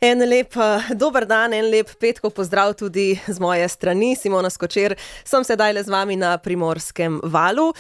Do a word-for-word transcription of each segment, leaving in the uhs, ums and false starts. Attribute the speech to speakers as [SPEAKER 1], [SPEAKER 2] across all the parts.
[SPEAKER 1] En lep dober dan, en lep petkov pozdrav tudi z moje strani. Simona Skočer, sem sedaj le z vami na Primorskem valu.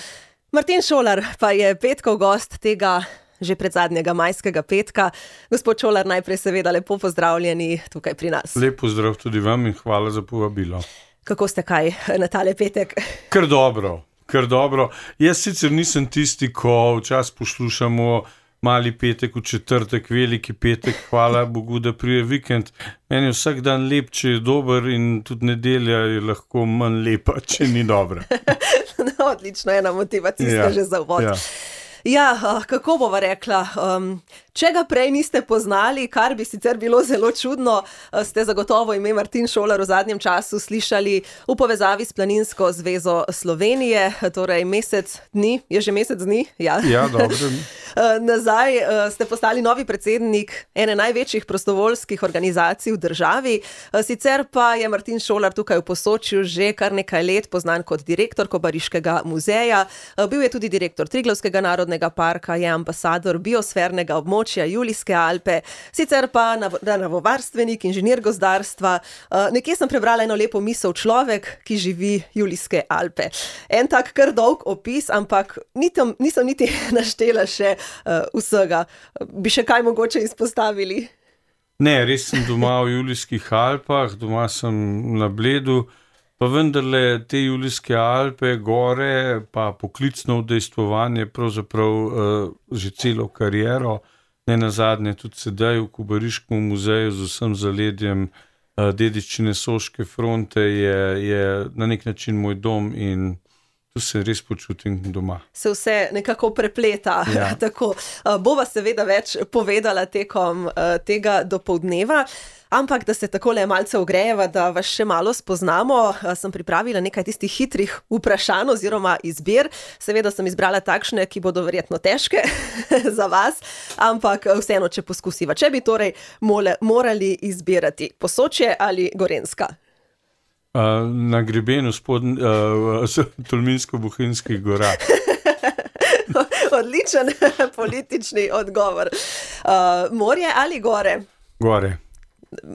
[SPEAKER 1] Martin Šolar pa je petkov gost tega že predzadnjega majskega petka. Gospod Šolar, najprej seveda lepo pozdravljeni tukaj pri nas.
[SPEAKER 2] Lep pozdrav tudi vam in hvala za povabilo.
[SPEAKER 1] Kako ste kaj na tale petek?
[SPEAKER 2] Kar dobro, kar dobro. Jaz sicer nisem tisti, ko včasih poslušamo mali petek, v četrtek, veliki petek, hvala Bogu, da prije vikend. Meni je vsak dan lep, če je dober, in tudi nedelja je lahko manj lepa, če ni dobra.
[SPEAKER 1] No, odlično, ena motivacijska
[SPEAKER 2] Ja,
[SPEAKER 1] že za uvod.
[SPEAKER 2] ja.
[SPEAKER 1] Ja, kako bova rekla, um, če ga prej niste poznali, kar bi sicer bilo zelo čudno, ste zagotovo ime Martin Šolar v zadnjem času slišali v povezavi s Planinsko zvezo Slovenije, torej mesec dni, je že mesec dni? Ja,
[SPEAKER 2] Ja, dobro.
[SPEAKER 1] Nazaj ste postali novi predsednik ene največjih prostovoljskih organizacij v državi, sicer pa je Martin Šolar tukaj v Posočju že kar nekaj let poznan kot direktor Kobariškega muzeja, bil je tudi direktor Triglavskega narodnega parka, je ambasador biosfernega območja Julijske Alpe, sicer pa naravovarstvenik, inženir gozdarstva. Nekje sem prebrala eno lepo misel: človek, ki živi Julijske Alpe. En tak kar dolg opis, ampak nisem, nisem niti naštela še uh, vsega. Bi še kaj mogoče izpostavili?
[SPEAKER 2] Ne, res sem doma v Julijskih Alpah, doma sem na Bledu, pa vendarle te Julijske Alpe, gore, pa poklicno udejstvovanje, pravzaprav uh, že celo kariero, ne nazadnje tudi sedaj v Kobariškem muzeju z vsem zaledjem uh, dediščine Soške fronte, je, je na nek način moj dom in tu se res počutim doma.
[SPEAKER 1] Se vse nekako prepleta.
[SPEAKER 2] Ja.
[SPEAKER 1] Tako. Bova seveda več povedala tekom uh, tega dopoldneva, ampak da se takole malce ogrejeva, da vas še malo spoznamo, uh, sem pripravila nekaj tistih hitrih vprašanj oziroma izbir. Seveda sem izbrala takšne, ki bodo verjetno težke za vas, ampak vseeno, če poskusiva. Če bi torej mole, morali izbirati Posočje ali Gorenjska?
[SPEAKER 2] Uh, na grebenu spodn, uh, Tolminsko-Bohinjskih gora.
[SPEAKER 1] Odličen politični odgovor. Uh, morje ali gore?
[SPEAKER 2] Gore.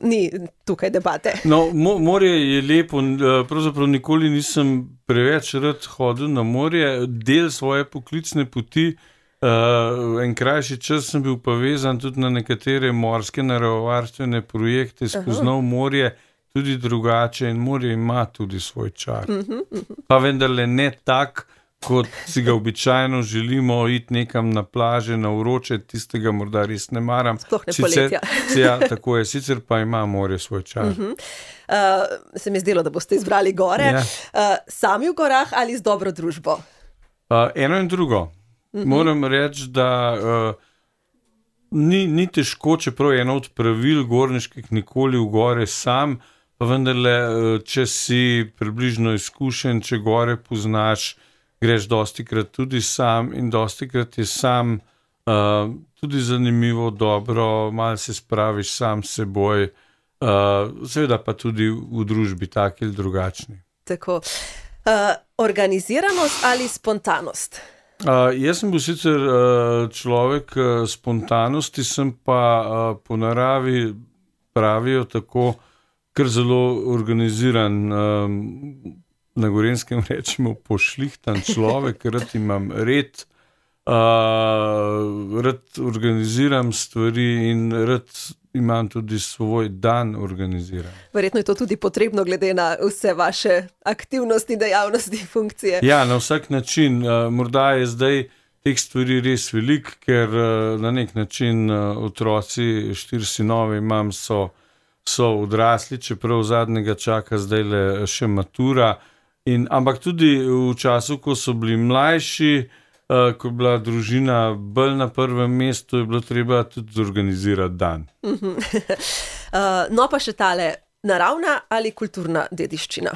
[SPEAKER 1] Ni tukaj debate.
[SPEAKER 2] No, mo, morje je lepo, pravzaprav nikoli nisem preveč rad hodil na morje, del svoje poklicne poti, uh, en krajši čas sem bil povezan tudi na nekatere morske naravovarstvene projekte, spoznal morje tudi drugače, in morje ima tudi svoj čar.
[SPEAKER 1] Uh-huh, uh-huh.
[SPEAKER 2] Pa vendarle ne tak, kot si ga običajno želimo, iti nekam na plaže, na vroče, tistega morda res ne maram.
[SPEAKER 1] Sploh ne
[SPEAKER 2] Sicer,
[SPEAKER 1] poletja.
[SPEAKER 2] ja, tako je, sicer pa ima morje svoj čar.
[SPEAKER 1] Uh-huh. Uh, se mi je zdelo, da boste izbrali gore.
[SPEAKER 2] Ja.
[SPEAKER 1] Uh, sami v gorah ali z dobro družbo?
[SPEAKER 2] Uh, eno in drugo. Uh-huh. Moram reči, da uh, ni, ni težko, čeprav je eno od pravil gorniških nikoli v gore sam, pa vendarle, če si približno izkušen, če gore poznaš, greš dostikrat tudi sam, in dostikrat je sam uh, tudi zanimivo, dobro, malo se spraviš sam s seboj, uh, seveda pa tudi v družbi taki ali drugačni.
[SPEAKER 1] Tako. Uh, organiziranost ali spontanost?
[SPEAKER 2] Uh, jaz sem bil sicer uh, človek uh, spontanosti, sem pa uh, po naravi, pravijo tako, kar zelo organiziran, um, na Gorenjskem rečemo pošlihtan človek, rad imam red, uh, rad organiziram stvari in rad imam tudi svoj dan organiziran.
[SPEAKER 1] Verjetno je to tudi potrebno glede na vse vaše aktivnosti, dejavnosti, funkcije.
[SPEAKER 2] Ja, na vsak način. Uh, morda je zdaj teh stvari res veliko, ker uh, na nek način uh, otroci, štiri sinove imam, so so odrasli, čeprav zadnjega čaka zdaj le še matura. In, ampak tudi v času, ko so bili mlajši, uh, ko je bila družina bolj na prvem mestu, je bilo treba tudi zorganizirati dan.
[SPEAKER 1] uh, no pa še tale, naravna ali kulturna dediščina?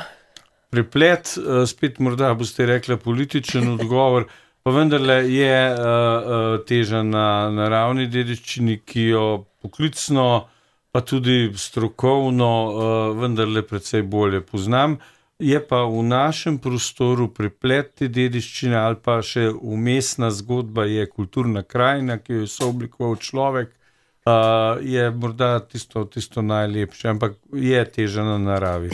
[SPEAKER 2] Preplet, uh, spet morda boste rekla političen odgovor, pa vendarle je uh, uh, teža na naravni dediščini, ki jo poklicno pa tudi strokovno uh, vendarle precej bolje poznam. Je pa v našem prostoru preplet te dediščine ali pa še vmesna zgodba je kulturna krajina, ki jo je sooblikoval človek, uh, je morda tisto, tisto najlepše, ampak je teža na naravi.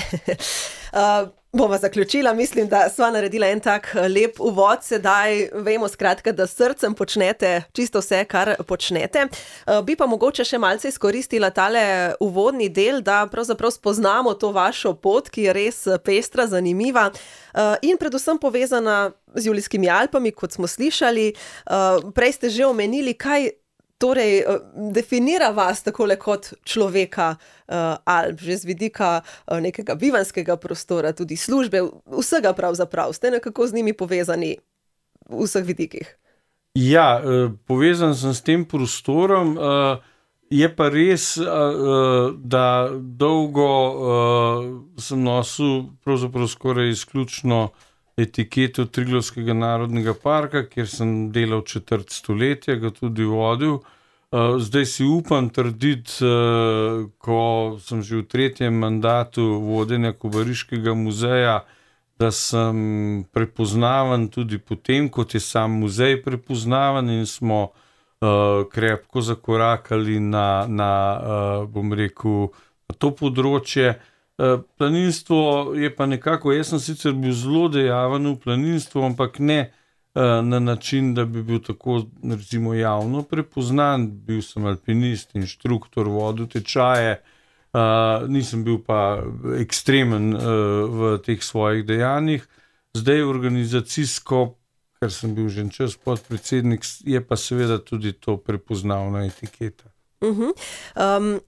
[SPEAKER 1] uh, Bova zaključila, mislim, da sva naredila en tak lep uvod, sedaj vemo skratka, da s srcem počnete čisto vse, kar počnete. Uh, bi pa mogoče še malce izkoristila tale uvodni del, da pravzaprav spoznamo to vašo pot, ki je res pestra, zanimiva uh, in predvsem povezana z Julijskimi Alpami, kot smo slišali. Uh, prej ste že omenili, kaj torej definira vas takole kot človeka uh, Alp, že z vidika uh, nekega bivanskega prostora, tudi službe, vsega pravzaprav. Ste nekako z njimi povezani v vseh vidikih?
[SPEAKER 2] Ja, uh, povezan sem s tem prostorom. Uh, je pa res, uh, da dolgo uh, sem nosil pravzaprav skoraj izključno etiketo Triglavskega narodnega parka, kjer sem delal četrt stoletja, ga tudi vodil. Zdaj si upam trditi, ko sem že v tretjem mandatu vodenja Kobariškega muzeja, da sem prepoznaven tudi potem, kot je sam muzej prepoznaven in smo krepko zakorakali na, na bom rekel, na to področje. Planinstvo je pa nekako, jaz sem sicer bil zelo dejaven v planinstvu, ampak ne na način, da bi bil tako recimo javno prepoznan. Bil sem alpinist, inštruktor, vodil tečaje, nisem bil pa ekstremen v teh svojih dejanjih. Zdaj organizacijsko, ker sem bil že čas podpredsednik, je pa seveda tudi to prepoznavna etiketa.
[SPEAKER 1] Uh-huh. Um...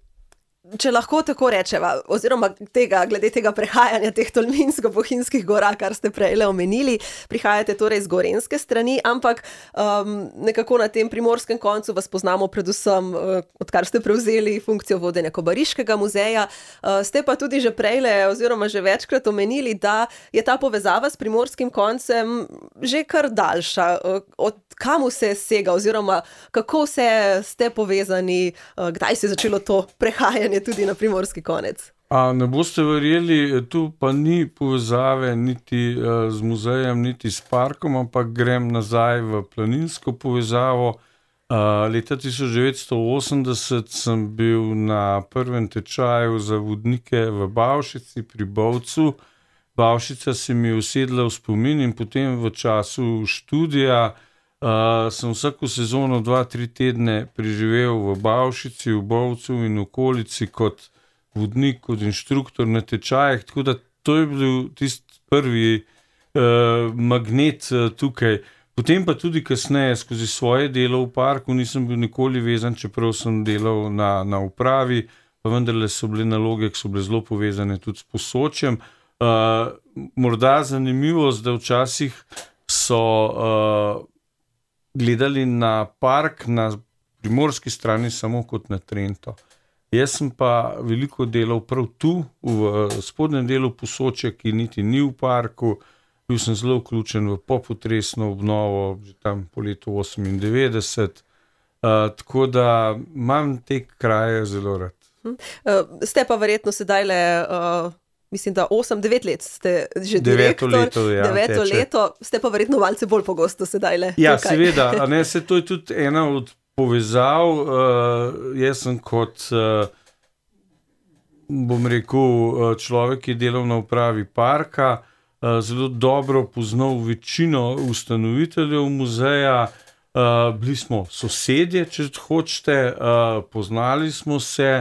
[SPEAKER 1] Če lahko tako rečeva, oziroma tega, glede tega prehajanja teh Tolminsko-Bohinjskih gora, kar ste prejle omenili, prihajate torej z gorenjske strani, ampak um, nekako na tem primorskem koncu vas poznamo predvsem, uh, odkar ste prevzeli funkcijo vodenja Kobariškega muzeja. Uh, ste pa tudi že prejle, oziroma že večkrat omenili, da je ta povezava s primorskim koncem že kar daljša. Uh, od kam vse sega, oziroma kako vse ste povezani, uh, kdaj se je začelo to prehajanje tudi na primorski konec?
[SPEAKER 2] A ne boste verjeli, tu pa ni povezave niti uh, z muzejem, niti s parkom, ampak grem nazaj v planinsko povezavo. Uh, leta tisoč devetsto osemdeset sem bil na prvem tečaju za vodnike v Bavšici pri Bovcu. Bavšica se mi je usedla v spomin in potem v času študija Uh, sem vsako sezono dva, tri tedne preživel v Bavšici, v Bovcu in okolici kot vodnik, kot inštruktor na tečajih, tako da to je bil tisti prvi uh, magnet uh, tukaj. Potem pa tudi kasneje skozi svoje delo v parku nisem bil nikoli vezan, čeprav sem delal na, na upravi, pa vendarle so bile naloge, ki so bile zelo povezane tudi s Posočjem. Uh, morda zanimivost, da včasih so uh, gledali na park na primorski strani samo kot na Trento. Jaz sem pa veliko delal prav tu, v spodnjem delu Posočja, ki niti ni v parku. Bil sem zelo vključen v popotresno obnovo, že tam po letu osemindevetdeset. Uh, tako da imam te kraje zelo rad.
[SPEAKER 1] Uh, ste pa verjetno sedaj le... Uh... Mislim, da osem, devet let ste že
[SPEAKER 2] deveto
[SPEAKER 1] direktor.
[SPEAKER 2] Leto, ja,
[SPEAKER 1] deveto leto, ste pa verjetno malce bolj pogosto sedaj le.
[SPEAKER 2] Ja,
[SPEAKER 1] tukaj.
[SPEAKER 2] Seveda, a ne, se to je tudi ena od povezav. Uh, jaz sem kot, uh, bom rekel, človek, ki je delal na upravi parka, uh, zelo dobro poznal večino ustanoviteljev muzeja. Uh, bili smo sosedje, če hočete, uh, poznali smo se.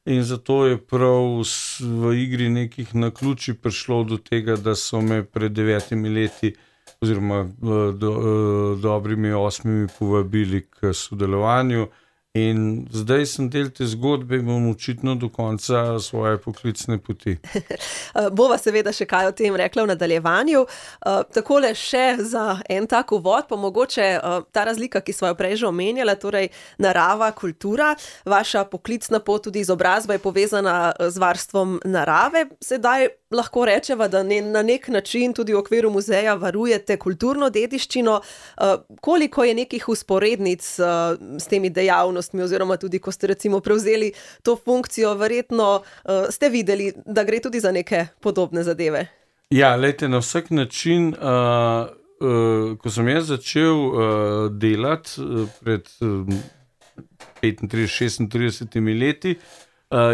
[SPEAKER 2] In zato je prav v igri nekih naključij prišlo do tega, da so me pred devetimi leti oziroma do, dobrimi osmimi povabili k sodelovanju. In zdaj sem del te zgodbe in bom očitno do konca svoje poklicne poti.
[SPEAKER 1] Bova seveda še kaj o tem rekla v nadaljevanju. Takole še za en tak uvod, pa mogoče ta razlika, ki sva jo prej že omenjala, torej narava, kultura, vaša poklicna pot, tudi izobrazba je povezana z varstvom narave. Sedaj lahko rečeva, da ne, na nek način tudi v okviru muzeja varujete kulturno dediščino. Koliko je nekih usporednic s temi dejavnostmi, oziroma tudi, ko ste recimo prevzeli to funkcijo, verjetno uh, ste videli, da gre tudi za neke podobne zadeve?
[SPEAKER 2] Ja, lejte, na vsak način, uh, uh, ko sem jaz začel uh, delati uh, pred uh, petintrideset šestintrideset leti,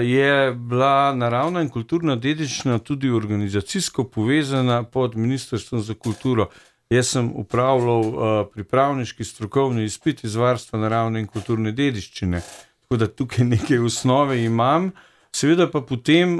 [SPEAKER 2] je bila naravna in kulturna dediščina tudi organizacijsko povezana pod Ministrstvom za kulturo. Jaz sem upravljal pripravniški strokovni izpit iz varstva naravne in kulturne dediščine, tako da tukaj nekaj osnove imam. Seveda pa potem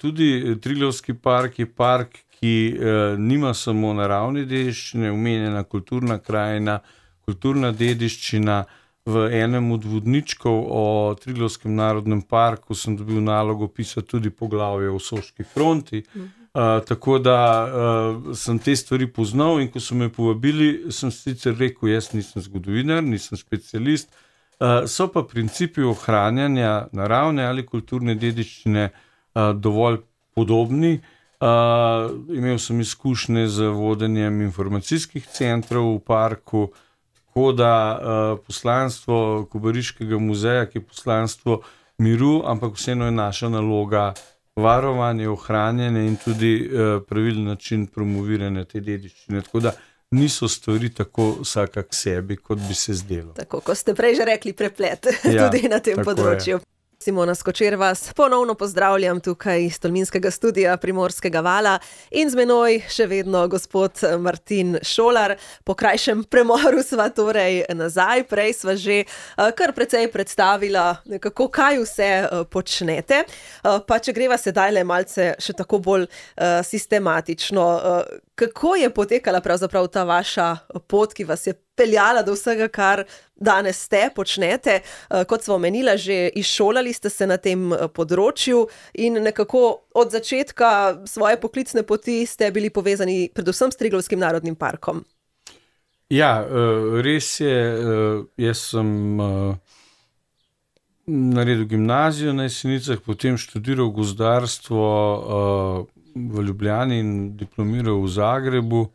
[SPEAKER 2] tudi Triglavski park je park, ki nima samo naravne dediščine, omenjena kulturna krajina, kulturna dediščina. V enem od vodničkov o Triglavskem narodnem parku sem dobil nalogo pisati tudi poglavje o Soški fronti, uh, tako da uh, sem te stvari poznal in ko so me povabili, sem sicer rekel, jaz nisem zgodovinar, nisem specialist, uh, so pa principi ohranjanja naravne ali kulturne dediščine uh, dovolj podobni. Uh, imel sem izkušnje z vodenjem informacijskih centrov v parku, tako da uh, poslanstvo Kobariškega muzeja, ki je poslanstvo miru, ampak vseeno je naša naloga varovanje, ohranjanje in tudi uh, pravilen način promoviranja te dediščine. Tako da niso stvari tako vsaka k sebi, kot bi se zdelo.
[SPEAKER 1] Tako, ko ste prej že rekli, preplet ja, tudi na tem področju. Je. Simona Skočer vas ponovno pozdravljam tukaj iz Tolminskega studia Primorskega vala in z menoj še vedno gospod Martin Šolar. Po krajšem premoru sva torej nazaj, prej sva že kar precej predstavila nekako, kaj vse počnete. Pa če greva sedaj le malce še tako bolj sistematično, kako je potekala pravzaprav ta vaša pot, ki vas je peljala do vsega, kar danes ste, počnete. Kot sva omenila, že izšolali ste se na tem področju in nekako od začetka svoje poklicne poti ste bili povezani predvsem s Triglavskim narodnim parkom.
[SPEAKER 2] Ja, res je. Jaz sem naredil gimnazijo na Jesenicah, potem študiral gozdarstvo v Ljubljani in diplomiral v Zagrebu.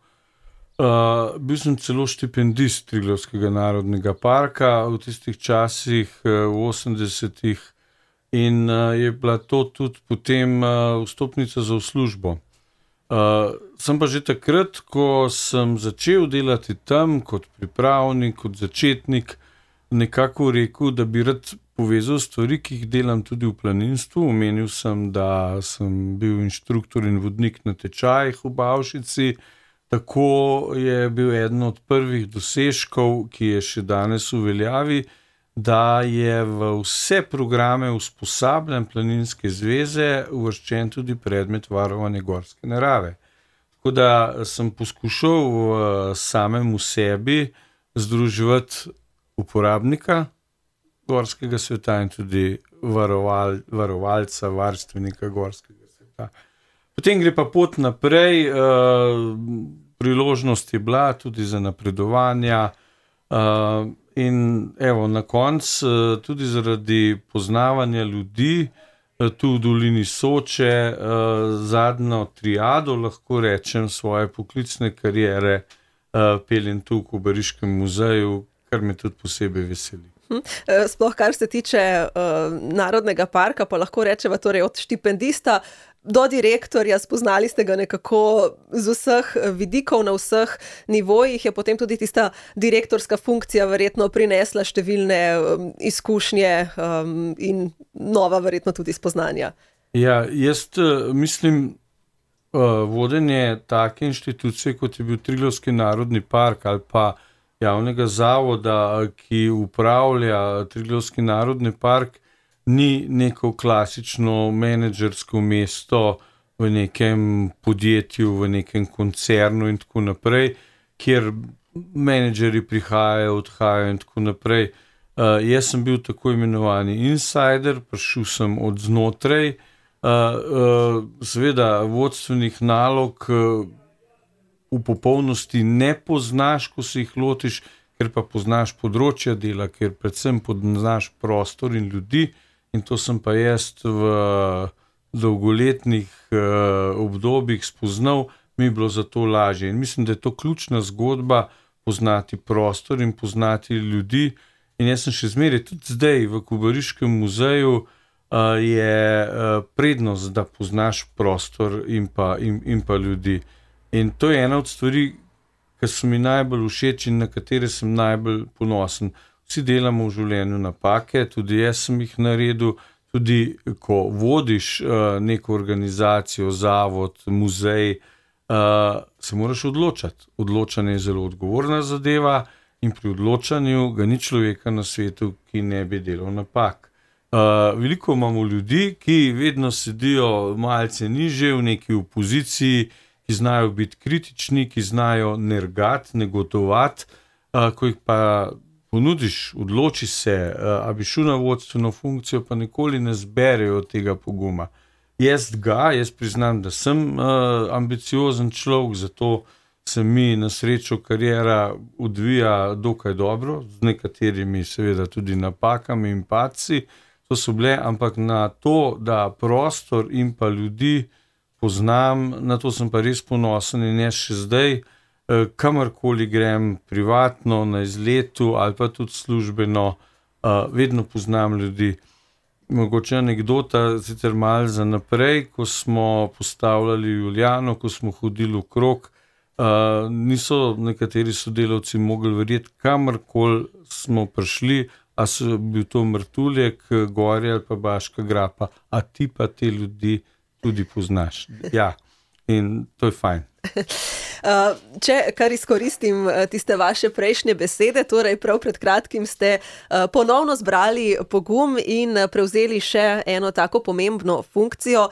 [SPEAKER 2] Uh, bil sem celo štipendist Triglavskega narodnega parka v tistih časih, uh, v osemdesetih, in uh, je bila to tudi potem uh, vstopnica za v službo. Uh, sem pa že takrat, ko sem začel delati tam kot pripravnik, kot začetnik, nekako rekel, da bi rad povezal stvari, ki jih delam tudi v planinstvu. Omenil sem, da sem bil inštruktor in vodnik na tečajih v Bavšici. Tako je bil eden od prvih dosežkov, ki je še danes v veljavi, da je v vse programe usposabljanj Planinske zveze uvrščen tudi predmet varovanja gorske narave. Tako da sem poskušal v samem v sebi združevati uporabnika gorskega sveta in tudi varoval, varovalca, varstvenika gorskega sveta. Potem gre pa pot naprej, priložnost je bila tudi za napredovanja in evo, na koncu tudi zaradi poznavanja ljudi tu v dolini Soče, zadnjo triado, lahko rečem, svoje poklicne kariere peljem tu v Kobariškem muzeju, kar me tudi posebej veseli.
[SPEAKER 1] Sploh kar se tiče uh, Narodnega parka, pa lahko rečeva torej od štipendista do direktorja, spoznali ste ga nekako z vseh vidikov, na vseh nivojih, je potem tudi tista direktorska funkcija verjetno prinesla številne um, izkušnje um, in nova verjetno tudi spoznanja.
[SPEAKER 2] Ja, jaz mislim, uh, vodenje take inštitucije, kot je bil Triglavski narodni park ali pa javnega zavoda, ki upravlja Triglavski narodni park, ni neko klasično menedžersko mesto v nekem podjetju, v nekem koncernu in tako naprej, kjer menedžeri prihajajo, odhajajo in tako naprej. Uh, jaz sem bil tako imenovani insider, prišel sem od znotraj, uh, uh, seveda vodstvenih nalog uh, v popolnosti ne poznaš, ko se jih lotiš, ker pa poznaš področja dela, ker predvsem poznaš prostor in ljudi, in to sem pa jaz v dolgoletnih uh, obdobjih spoznal, mi je bilo zato lažje. In mislim, da je to ključna zgodba, poznati prostor in poznati ljudi. In jaz sem še zmeraj, tudi zdaj v Kobariškem muzeju uh, je uh, prednost, da poznaš prostor in pa, in, in pa ljudi. In to je ena od stvari, ki so mi najbolj všeč in na katere sem najbolj ponosen. vsi delamo v življenju napake, tudi jaz sem jih naredil, tudi ko vodiš uh, neko organizacijo, zavod, muzej, uh, se moraš odločati. Odločanje je zelo odgovorna zadeva in pri odločanju ga ni človeka na svetu, ki ne bi delal napak. Uh, veliko imamo ljudi, ki vedno sedijo malce niže v neki opoziciji, ki znajo biti kritični, ki znajo nergati, negotovati, uh, ko jih pa ponudiš, odloči se, uh, a bi šel na vodstveno funkcijo, pa nikoli ne zberejo tega poguma. Jaz ga, jaz priznam, da sem uh, ambiciozen človek, zato se mi na srečo kariera odvija dokaj dobro, z nekaterimi seveda tudi napakami in padci, to so bile, ampak na to, da prostor in pa ljudi poznam, na to sem pa res ponosen in jaz še zdaj, kamorkoli grem privatno, na izletu ali pa tudi službeno, vedno poznam ljudi. Mogoče anekdota, sicer malo za naprej, ko smo postavljali Julijano, ko smo hodili okrog, niso nekateri sodelavci mogli verjeti, kamorkoli smo prišli, a so bil to Mrtuljek, Gorje ali pa Baška grapa, a ti pa te ljudi tudi poznaš. Ja, in to je fajn.
[SPEAKER 1] Če kar izkoristim tiste vaše prejšnje besede, torej prav pred kratkim ste ponovno zbrali pogum in prevzeli še eno tako pomembno funkcijo.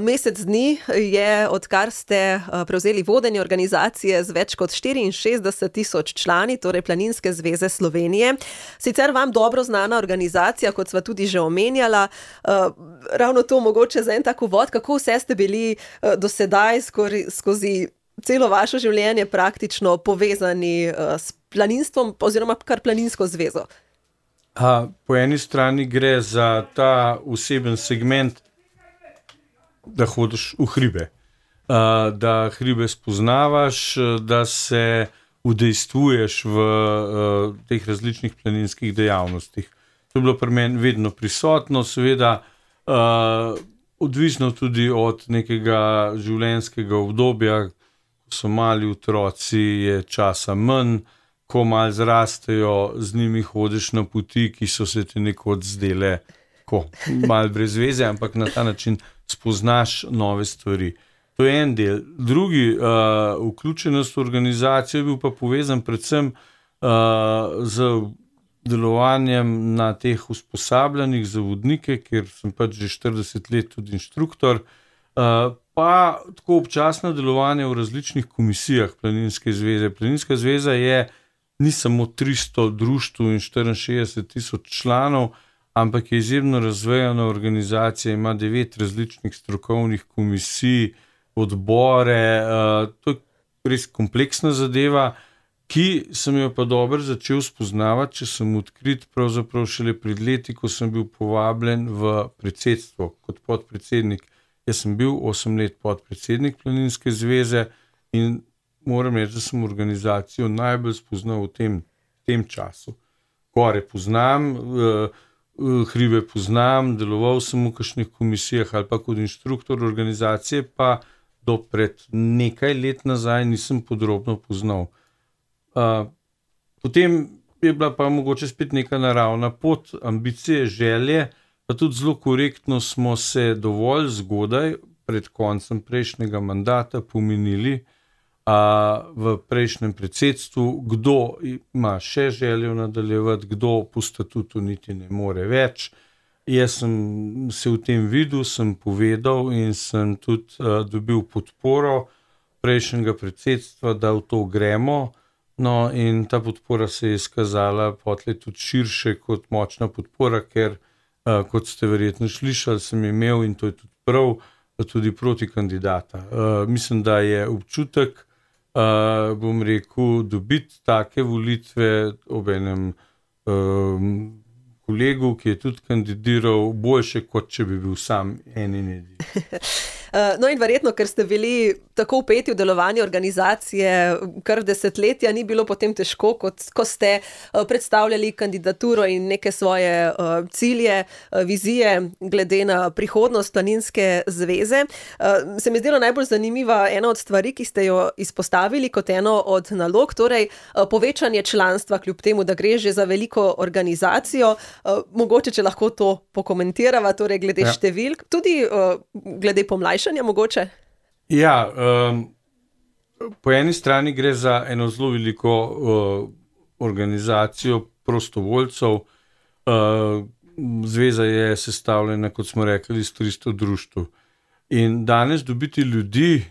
[SPEAKER 1] Mesec dni je, odkar ste prevzeli vodenje organizacije z več kot štiriinšestdeset tisoč člani, torej Planinske zveze Slovenije. Sicer vam dobro znana organizacija, kot sva tudi že omenjala, ravno to mogoče za en tak uvod, kako vse ste bili do sedaj skozi celo vaše življenje praktično povezani uh, s planinstvom oziroma kar Planinsko zvezo?
[SPEAKER 2] A, po eni strani gre za ta oseben segment, da hodiš v hribe, uh, da hribe spoznavaš, da se udejstvuješ v uh, teh različnih planinskih dejavnostih. To je bilo pri meni vedno prisotno, seveda uh, odvisno tudi od nekega življenjskega obdobja. So mali otroci, je časa manj, ko malo zrastejo, z njimi hodiš na poti, ki so se ti nekod zdele ko, malo brez veze, ampak na ta način spoznaš nove stvari. To je en del. Drugi, uh, vključenost v organizacijo je bil pa povezan predvsem uh, z delovanjem na teh usposabljanjih za vodnike, ker sem pač že štirideset let tudi inštruktor, uh, pa tako občasno delovanje v različnih komisijah Planinske zveze. Planinska zveza je, ni samo tristo društev in štiriinšestdeset tisoč članov, ampak je izjemno razvejana organizacija, ima devet različnih strokovnih komisij, odbore, uh, to je res kompleksna zadeva, ki sem jo pa dobro začel spoznavati, če sem odkrit pravzaprav šele pred leti, ko sem bil povabljen v predsedstvo kot podpredsednik. Jaz sem bil osem let podpredsednik Planinske zveze in moram reči, da sem organizacijo najbolj spoznal v tem, tem času. Gore poznam, hribe poznam, deloval sem v kakšnih komisijah ali pa kot inštruktor organizacije, pa do pred nekaj let nazaj nisem podrobno poznal. Potem je bila pa mogoče spet neka naravna pot, ambicije, želje, pa tudi zelo korektno smo se dovolj zgodaj, pred koncem prejšnjega mandata, pomenili a, v prejšnjem predsedstvu, kdo ima še željo nadaljevati, kdo po statutu niti ne more več. Jaz sem se v tem videl, sem povedal in sem tudi a, dobil podporo prejšnjega predsedstva, da v to gremo. No, in ta podpora se je izkazala potlej tudi širše kot močna podpora, ker Uh, kot ste verjetno slišali, sem imel, in to je tudi prav, tudi proti kandidata. Uh, mislim, da je občutek, uh, bom rekel, dobiti take volitve ob enem uh, kolegu, ki je tudi kandidiral, boljše, kot če bi bil sam en in edin.
[SPEAKER 1] No in verjetno, ker ste bili tako vpeti v delovanje organizacije kar desetletja, ni bilo potem težko, kot ko ste predstavljali kandidaturo in neke svoje cilje, vizije glede na prihodnost Planinske zveze. Se mi zdelo najbolj zanimiva ena od stvari, ki ste jo izpostavili kot eno od nalog, torej povečanje članstva, kljub temu, da gre že za veliko organizacijo. Mogoče, če lahko to pokomentirava, torej glede ja. številk, tudi glede pomlajšanja mogoče?
[SPEAKER 2] Ja, um, po eni strani gre za eno zelo veliko uh, organizacijo prostovoljcev. Uh, zveza je sestavljena, kot smo rekli, iz tristo društev. In danes dobiti ljudi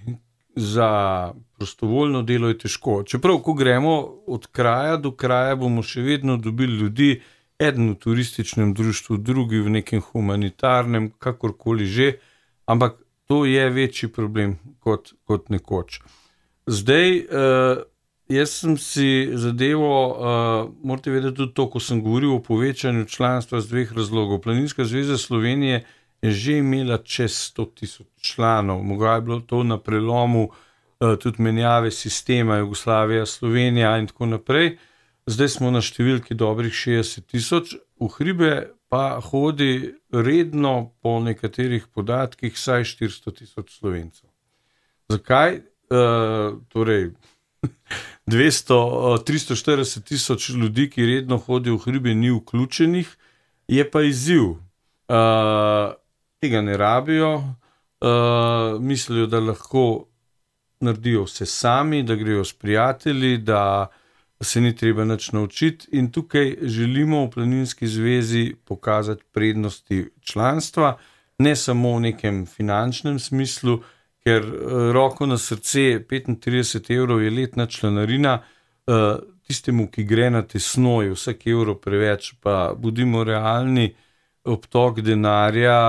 [SPEAKER 2] za prostovoljno delo je težko. Čeprav, ko gremo od kraja do kraja, bomo še vedno dobili ljudi, eden v turističnem društvu, drugi v nekem humanitarnem, kakorkoli že, ampak to je večji problem kot, kot nekoč. Zdaj, uh, jaz sem si zadevo, uh, morate vedeti tudi to, ko sem govoril o povečanju članstva z dveh razlogov. Planinska zveza Slovenije je že imela čez sto tisoč članov. Mogoče je bilo to na prelomu uh, tudi menjave sistema Jugoslavija, Slovenija in tako naprej. Zdaj smo na številki dobrih šestdeset tisoč, v hribe pa hodi redno po nekaterih podatkih vsaj štiristo tisoč Slovencev. Zakaj? E, torej, dvesto, tristo štirideset tisoč ljudi, ki redno hodijo v hribe, ni vključenih, je pa izziv. E, tega ne rabijo, e, mislijo, da lahko naredijo vse sami, da grejo s prijatelji, da se ni treba nič naučiti, in tukaj želimo v Planinski zvezi pokazati prednosti članstva, ne samo v nekem finančnem smislu, ker roko na srce, petintrideset evrov je letna članarina, tistemu, ki gre na tesno, je vsak evro preveč, pa bodimo realni, obtok denarja,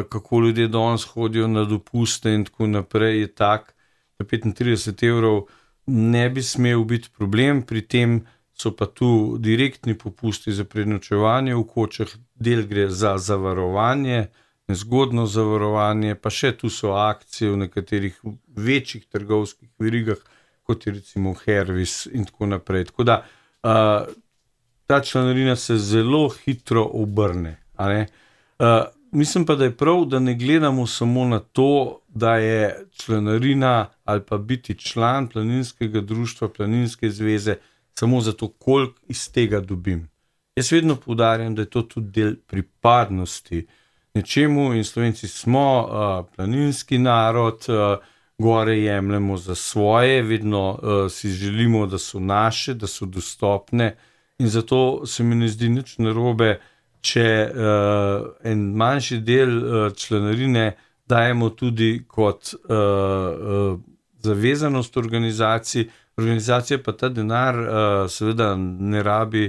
[SPEAKER 2] kako ljudje danes hodijo na dopuste in tako naprej, je tak, da petintrideset evrov ne bi smel biti problem, pri tem so pa tu direktni popusti za prenočevanje v kočah, del gre za zavarovanje, nezgodno zavarovanje, pa še tu so akcije v nekaterih večjih trgovskih verigah, kot je recimo Hervis in tako naprej. Tako da uh, ta članarina se zelo hitro obrne. A ne? Uh, Mislim pa, da je prav, da ne gledamo samo na to, da je članarina ali pa biti član planinskega društva, Planinske zveze, samo zato, koliko iz tega dobim. Jaz vedno poudarjam, da je to tudi del pripadnosti nečemu, in Slovenci smo uh, planinski narod, uh, gore jemljemo za svoje, vedno uh, si želimo, da so naše, da so dostopne, in zato se mi ne zdi nič narobe, če uh, en manjši del uh, članarine dajemo tudi kot uh, uh, zavezanost organizaciji, organizacija pa ta denar uh, seveda ne rabi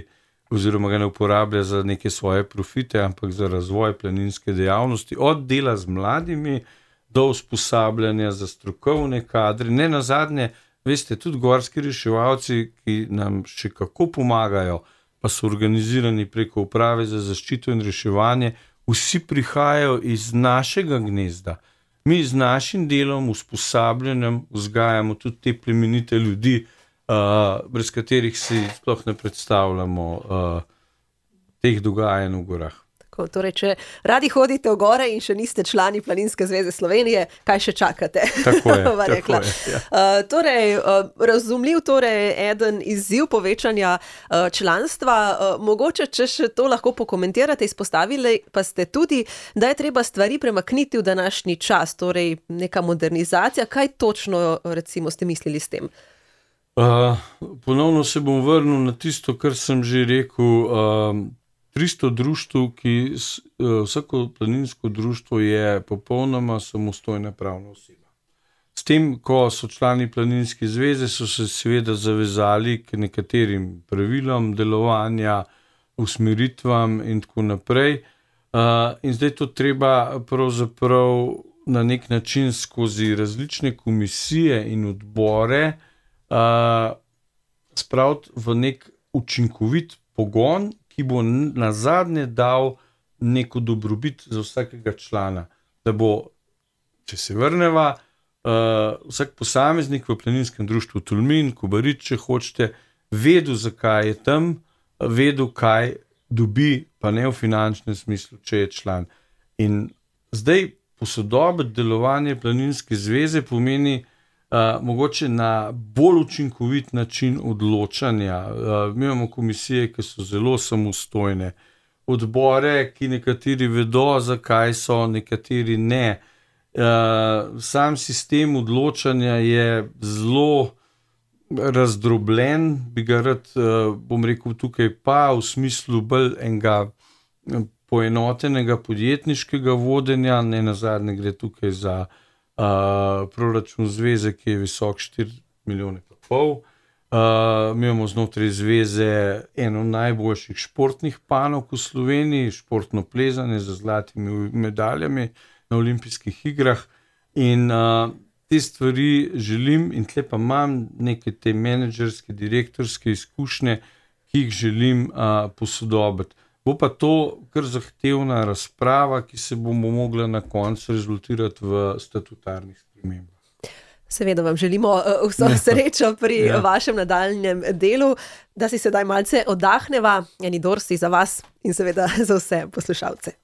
[SPEAKER 2] oziroma ga ne uporablja za neke svoje profite, ampak za razvoj planinske dejavnosti, od dela z mladimi do usposabljanja za strokovne kadre. Ne nazadnje, veste, tudi gorski reševalci, ki nam še kako pomagajo, pa so organizirani preko uprave za zaščito in reševanje, vsi prihajajo iz našega gnezda. Mi z našim delom, usposabljanjem, vzgajamo tudi te plemenite ljudi, uh, brez katerih si sploh ne predstavljamo uh, teh dogajanj v gorah.
[SPEAKER 1] Tako, torej, če radi hodite v gore in še niste člani Planinske zveze Slovenije, kaj še čakate?
[SPEAKER 2] Tako je, tako je. Ja.
[SPEAKER 1] Uh, torej, uh, razumljiv torej eden izziv povečanja uh, članstva. Uh, mogoče, če še to lahko pokomentirate, izpostavili pa ste tudi, da je treba stvari premakniti v današnji čas, torej neka modernizacija. Kaj točno, recimo, ste mislili s tem?
[SPEAKER 2] Uh, ponovno se bom vrnil na tisto, kar sem že rekel. Uh, tristo društev, ki vsako planinsko društvo je popolnoma samostojna pravna oseba. S tem, ko so člani Planinske zveze, so se seveda zavezali k nekaterim pravilom delovanja, usmeritvam in tako naprej. Uh, in zdaj to treba pravzaprav na nek način skozi različne komisije in odbore uh, spraviti v nek učinkovit pogon, ki bo nazadnje dal neko dobrobit za vsakega člana. Da bo, če se vrneva, uh, vsak posameznik v planinskem društvu Tolmin, Kobarič, če hočete, vedel, zakaj je tam, vedel, kaj dobi, pa ne v finančnem smislu, če je član. In zdaj posodobiti delovanje Planinske zveze pomeni uh, mogoče na bolj učinkovit način odločanja. Uh, mi imamo komisije, ki so zelo samostojne, odbore, ki nekateri vedo, zakaj so, nekateri ne. Uh, sam sistem odločanja je zelo razdrobljen, bi ga rad, uh, bom rekel tukaj pa, v smislu bolj enega poenotenega podjetniškega vodenja, ne nazadnje gre tukaj za uh, proračun zveze, ki je visok štiri milijone pa pol. Uh, mi imamo znotraj zveze eno najboljših športnih panog v Sloveniji, športno plezanje z zlatimi medaljami na olimpijskih igrah in uh, te stvari želim in tle pa imam neke te menedžerske, direktorske izkušnje, ki jih želim uh, posodobiti. Bo pa to kar zahtevna razprava, ki se bomo mogla na koncu rezultirati v statutarnih spremembah.
[SPEAKER 1] Seveda vam želimo vso srečo pri ja. vašem nadaljnjem delu, da si sedaj malce oddahneva, eni dorsi za vas in seveda za vse poslušalce.